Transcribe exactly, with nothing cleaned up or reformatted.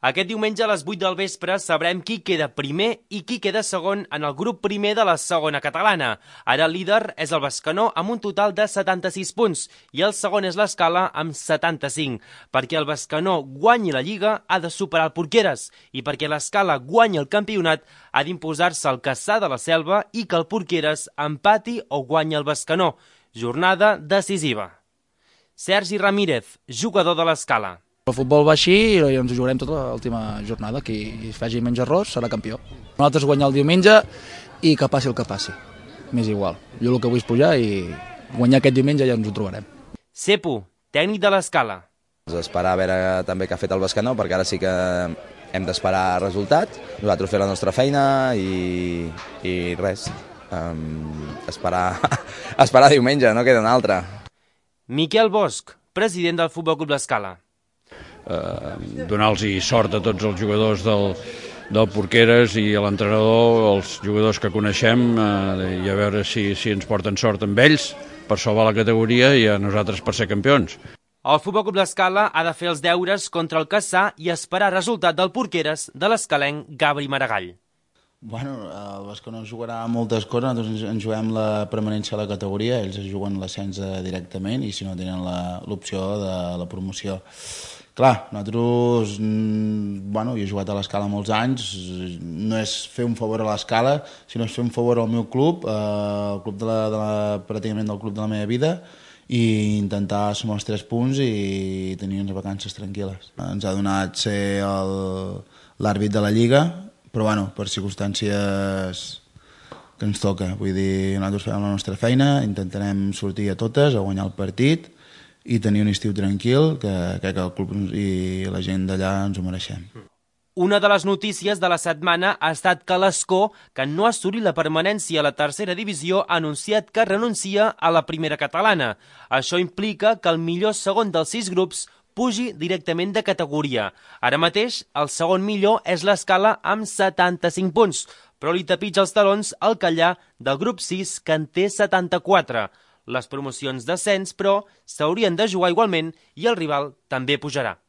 Aquest diumenge a les vuit del vespre sabrem qui queda primer i qui queda segon en el grup primer de la segona catalana. Ara el líder és el Bescanó amb un total de setanta-sis punts i el segon és l'Escala amb setanta-cinc. Perquè el Bescanó guanyi la Lliga ha de superar el Porqueres i perquè l'Escala guanyi el campionat ha d'imposar-se el Cassà de la Selva i que el Porqueres empati o guanyi el Bescanó. Jornada decisiva. Sergi Ramírez, jugador de l'Escala. El futbol va així i ens ho jugarem tota l'última jornada. Qui faci menys errors serà campió. Nosaltres guanyar el diumenge i que passi el que passi. M'és igual. Jo el que vull és pujar i guanyar aquest diumenge ja ens ho trobarem. Cepo, tècnic de l'Escala. Esperar a veure també què ha fet el Bescanó, perquè ara sí que hem d'esperar resultats. Nosaltres fer la nostra feina i, i res. Um, esperar, esperar diumenge, no queda una altra. Miquel Bosch, president del Futbol Club l'Escala. Eh, donar-los sort a tots els jugadors del, del Porqueres i a l'entrenador, els jugadors que coneixem, eh, i a veure si, si ens porten sort amb ells per salvar la categoria i a nosaltres per ser campions. El Futbol Club l'Escala ha de fer els deures contra el Cassà i esperar resultat del Porqueres de l'escalenc Gabri Maragall. Bueno, el Bescanó jugarà moltes coses, nosaltres ens juguem la permanència a la categoria, ells es juguen l'ascens directament i si no tenen l'opció de la promoció. Clar, nosaltres, bueno, jo he jugat a l'Escala molts anys, no és fer un favor a l'Escala, sinó és fer un favor al meu club, el club de la, de la, pràcticament del club de la meva vida, i intentar sumar els tres punts i tenir unes vacances tranquil·les. Ens ha donat ser l'àrbit de la Lliga, però bueno, per circumstàncies que ens toca. Vull dir, nosaltres fem la nostra feina, intentarem sortir a totes, a guanyar el partit i tenir un estiu tranquil, que crec que el club i la gent d'allà ens ho mereixem. Una de les notícies de la setmana ha estat que l'Escó, que no ha assolit la permanència a la tercera divisió, ha anunciat que renuncia a la primera catalana. Això implica que el millor segon dels sis grups pugi directament de categoria. Ara mateix, el segon millor és l'Escala amb setanta-cinc punts, però li tapitja els talons el Callà del grup sis, que en té setanta-quatre. Les promocions d'ascens, però, s'haurien de jugar igualment i el rival també pujarà.